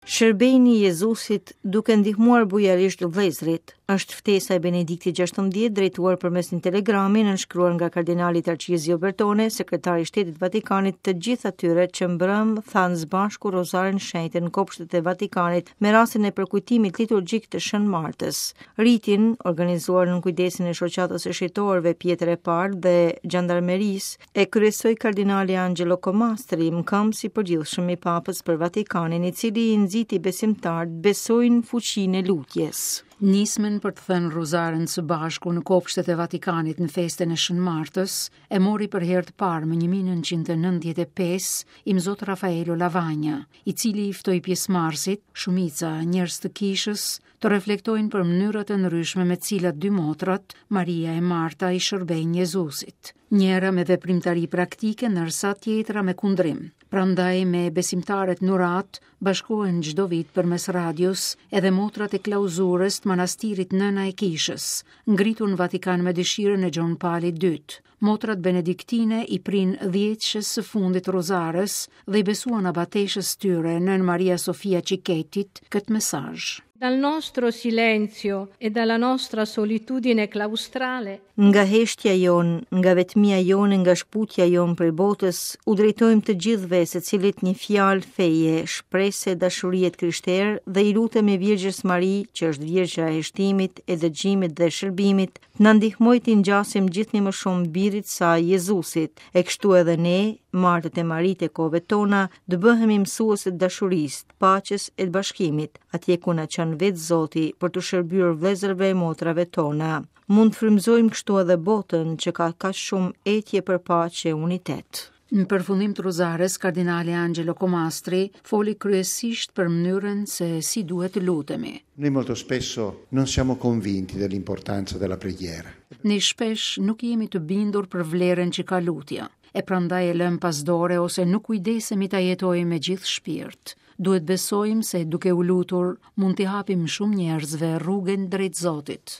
Shërbejini Jezusit duke ndihmuar bujarisht vëllezërit. Është ftesa e Benediktit XVI drejtuar përmes një telegrami nënshkruar nga kardinali Tarcizio Bertone, sekretari i Shtetit të Vatikanit, të gjithë atyre që mbrëmë thanë së bashku Rozarin e Shenjtë në kopshtet e Vatikanit me rastin e përkujtimit liturgjik të Shën Martës. Ritin, organizuar nën kujdesin e Shoqatës së Shenjtorëve Pjetër e Parë dhe Xhandarmerisë, E kryesoi kardinali Angelo Comastri, mëkëmbës i përgjithshëm i Papës për Vatikanin, i cili i nxiti besimtarët të besojnë fuqinë e lutjes. Nismën për të thënë rozaren së bashku në kopshtet e Vatikanit në festën e Shën Martës, e mori për herë të parë më 1995 Imzot Rafaelo Lavagna, i cili i ftoi pjesëmarrësit, shumica njerëz të kishës, të reflektojnë për mënyrat e ndryshme me të cilat dy motrat, Maria e Marta, i shërbejnë Jezusit. Njëra me veprimtari praktike, ndërsa tjetra me kundrim. Prandaj me besimtaret n'uratë bashkohen çdo vit përmes radios edhe motrat e klauzurës të manastirit Nëna e Kishës, ngritur në Vatikan me dëshirën e Gjon Palit II. Motrat benediktine i prinë dhjetëshes së fundit rozares dhe i besuan abateshës tyre, Nënë Maria Sofia Cichettit, këtë mesazh. Dal nostro silenzio e dalla nostra solitudine claustrale. Nga heshtja jonë, nga vetmia jonë e nga shkëputja jonë prej botës, u drejtojmë të gjithëve secilit një fjalë feje, shprese e dashurie të krishterë dhe i lutemi Virgjës Mari, që është Virgjëra e heshtimit, e dëgjimit dhe shërbimit, Të na ndihmojë t'i ngjasim gjithnjë më shumë birit të saj Jezusit, e kështu edhe ne, Martët e Maritë e kohëve tona, të bëhemi mësuese të dashurisë, të paqes e të bashkimit, atje ku na çon vetë Zoti për t'u shërbyer vëllezërve e motrave tona. Mund të frymëzojmë kështu edhe botën që ka kaq shumë etje për paqe e unitet. Në përfundim të rozares, kardinali Angelo Comastri foli kryesisht për mënyrën se si duhet të lutemi. Noi molto spesso non siamo convinti dell'importanza della preghiera. Ne shpesh nuk jemi të bindur për vlerën që ka lutja, e prandaj e lëmë pas dore ose nuk kujdesemi ta jetojmë me gjithë shpirt. Duhet besojmë se duke u lutur mund t'i hapim shumë njerëzve rrugën drejt Zotit.